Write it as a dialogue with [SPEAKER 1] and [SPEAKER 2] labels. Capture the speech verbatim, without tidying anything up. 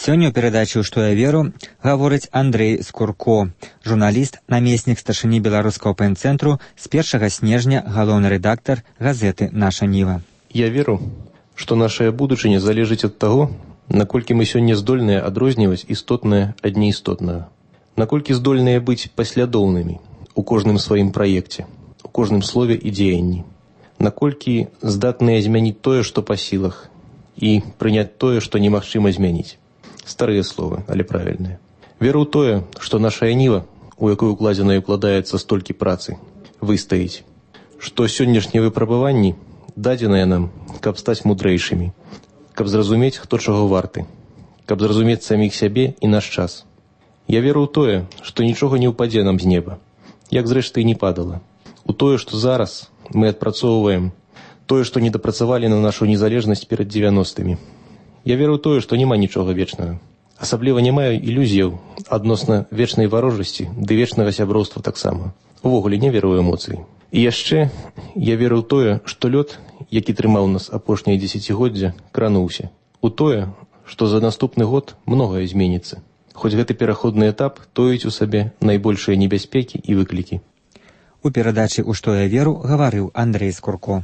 [SPEAKER 1] Сёння ў перадачы «Што я веру» гаворыць Андрэй Скурко, журналіст, намеснік старшыні беларускага пэйн-цэнтру, з першага снежня галоўны рэдактар газеты «Наша Ніва».
[SPEAKER 2] Я веру, што нашая будучыня залежыць ад таго, наколькі мы сёння здольныя адрозніваць істотнае ад неістотнага, наколькі здольныя быць паслядоўнымі у кожным сваім праекце, у кожным слове і дзеянні, наколькі здатныя змяніць тое, што па сілах, і прыняць тое, што немагчыма змяніць. Старыя словы, але правільныя. Веру ў тое, што наша ніва, у якой укладзена і укладаецца столькі працы, выстаіць, што сённяшнія выпрабаванні дадзеныя нам, каб стаць мудрэйшымі, каб зразумець, хто чаго варты, каб зразумець саміх сябе і наш час. Я веру ў тое, што нічога не ўпадзе нам з неба, як зрэшты і не падала. У тое, што зараз мы адпрацоўваем, тое, што не дапрацавалі на нашу незалежнасць перад дзевяностымі. Я веру ў тое, што няма нічога вечнага. Асабліва не маю ілюзіяў адносна вечнай варожасці ды вечнага сяброўства таксама. Увогуле не веру ў эмоцыі. І яшчэ я веру ў тое, што лёд, які трымаў нас апошняе дзесяцігоддзя, крануўся. У тое, што за наступны год многае зменіцца. Хоць гэты пераходны этап тоіць у сабе найбольшыя небяспекі і выклікі.
[SPEAKER 1] У перадачы «У што я веру» гаварыў Андрэй Скурко.